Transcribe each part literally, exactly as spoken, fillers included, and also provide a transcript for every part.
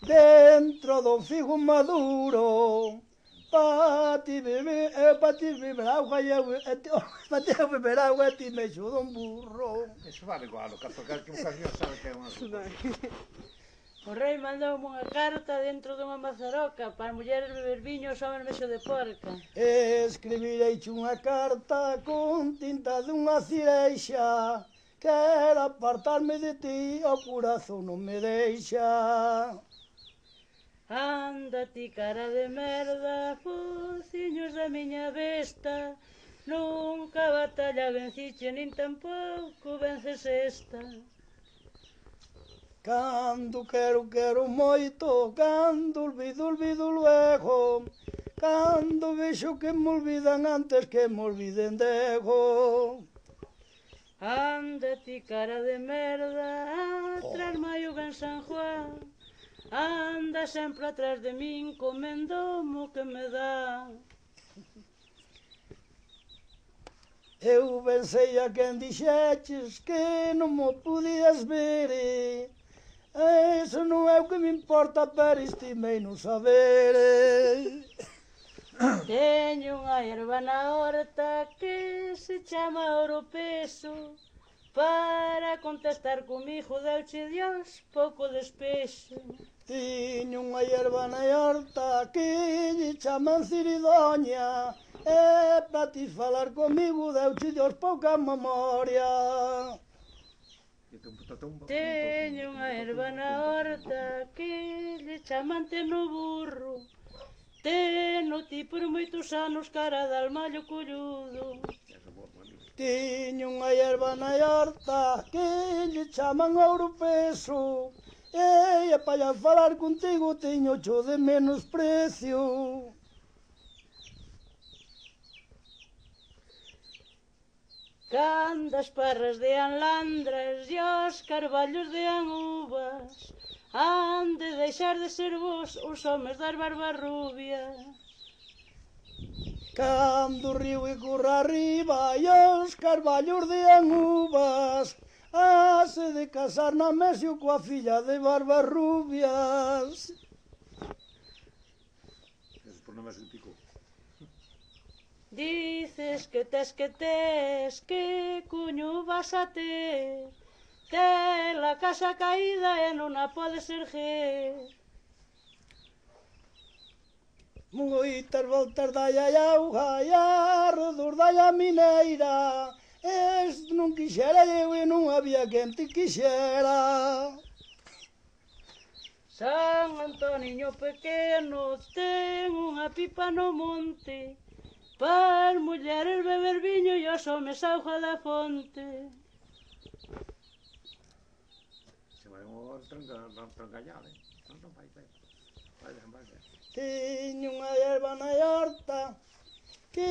dentro do figo maduro, pa ti beber, eh, pa ti beber agua e eu, pa ti beber agua e ti me xudo un burro. Eso vale igual, o caso que que un camión sabe que é unha... O rei mandoume unha carta dentro dunha mazaroca para as mulleres beber viño e os homens mexo de porca. Escribirei unha carta con tinta dunha cireixa, quero apartarme de ti, o corazón non me deixa. Anda ti cara de merda, fociños da miña besta, nunca batalla venciche nin tampouco vences esta. Cando quero, quero moito, cando olvido, olvido luego, cando vexo que me olvidan antes que me olviden dego. Anda ti cara de merda, atrás maio ben San Juan, anda sempre atrás de min comendomo que me dá. Eu pensei a quen dixeches que non mo podías ver, eso non é o que me importa, pero estimei non saber. Teño unha erva na horta que se chama Oropeso, para contestar comigo deuche Dios pouco despexo. Tiño unha hierba na horta que lle chaman Ciridoña, e para ti falar comigo deuche Dios pouca memoria. Teño unha erva na horta que lle chaman Teno burro, teno ti por moitos anos cara de almallo colludo. Tiño unha hierba na horta que lle chaman Oropeso, e para falar contigo teño cho de menos precio. Cando as parras dean landras e os carballos dean uvas, han de deixar de ser vos os homes das barbas rubias. Cando o río e corra arriba e os carballos dean uvas, hase de casar na Mesio coa filla de barbas rubias. Eso por non me pico. Dices que tes que tes, que cuño vas a ter, tes a casa caída e non a podes erguer. Moitas voltas dai a auga e arredor dai a mineira, este non quixera eu e non había quen te quixera. San Antoniño pequeno ten unha pipa no monte, para as mulleres beber viño e os homes auga da fonte. Se vai un trancallado, non non vai, vai. Vai, vai, vai. Tiño unha hierba na horta que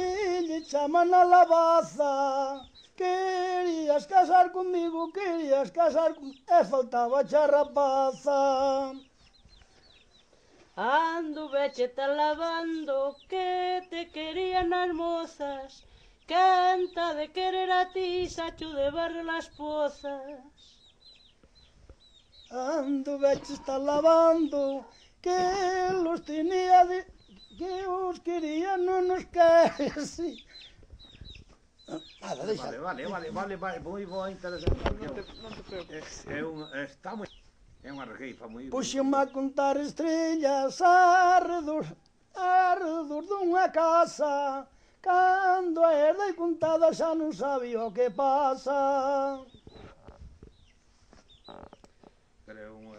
lle chaman a lavaza, querías casar comigo, querías casar comigo, e faltaba xa rapaza. Ando vecheta lavando que te querían as mozas, canta de querer a ti sacho de barre las pozas. Ando veche está lavando que los tenía de... que os quería non nos querese. Nada, deixa. Vale, vale, vale, vale, vale, moi boa, interesante. Non te, non te preocupes. É un, está moi... É unha regueifa moi... Puxeme a contar estrellas arredor, arredor dunha casa, cando a herdei contada xa non sabía o que pasa. Pero é unha...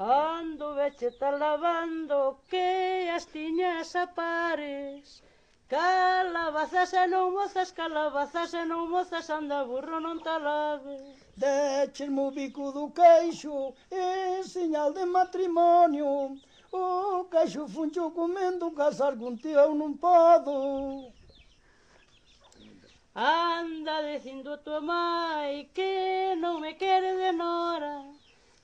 Ando vecheta lavando que as tiñas a pares, calabazas e non mozas, calabazas e non mozas, anda burro non te laves. Déchesme o bico do queixo en señal de matrimonio, o queixo funcho comendo, casar contigo eu non podo. Anda dicindo a tua mai que non me quere de nora,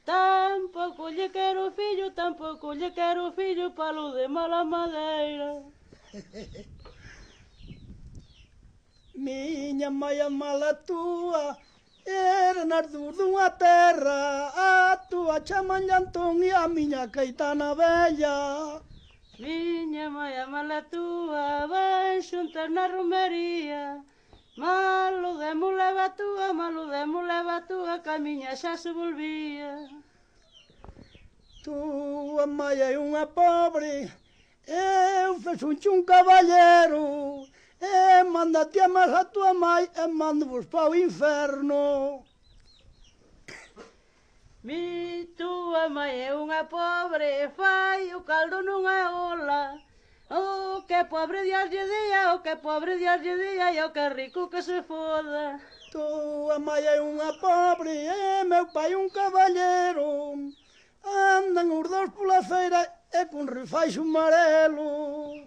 tampouco lle quero fillo, tampouco lle quero fillo, palo de mala madeira. Miña mai a mala túa, Era nas dúas dunha terra, a túa chaman Llantón e a miña Caetana Bella. Miña mãe a mala túa, van xuntas na romería. Malo demo leva túa, malo demo leva túa, que a miña xa se volvía. Túa mãe é unha pobre, eu fexunche un caballero, e mándate a máis a túa mãe e mando-vos pa o inferno. Mi túa mãe é unha pobre, fai o caldo nunha ola. O que pobre Dios lle día, o que pobre Dios lle día, e o que rico que se foda. Túa mãe é unha pobre, e meu pai un caballero. Andan os dous pola feira e con refaixo amarelo.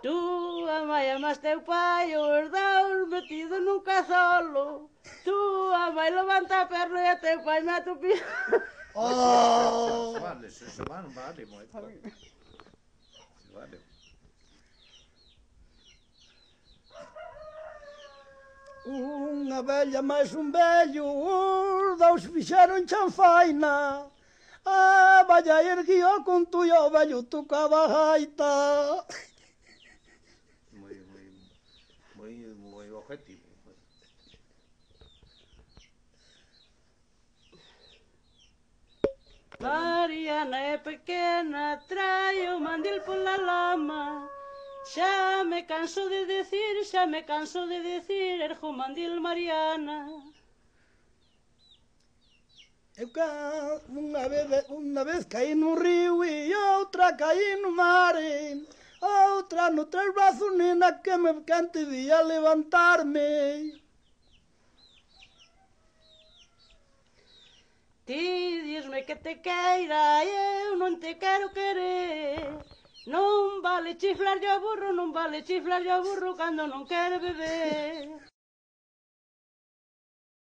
Túa mãe é máis teu pai, os dous metidos nun cazolo. Túa mãe levanta a perna e teu pai mete o pie. Oh! Vale, se se van, vale, moito. Se vale. Unha vella máis un vello, os dous fixeron chanfaina. A valla erguió con tu e o vello tocaba a gaita. Moi, moi, moi, moi objetivo. Mariana é pequena, trae o mandil pola lama. Xa me canso de decir, xa me canso de decir, erjo o mandil Mariana. Eu ca... unha vez, unha vez caí no río e outra caí no mar. Outra no tres brazos, nena, que me cante día levantarme. Ti dísme que te queira, eu non te quero querer. Non vale chiflar ao burro, non vale chiflar ao burro cando non quere beber.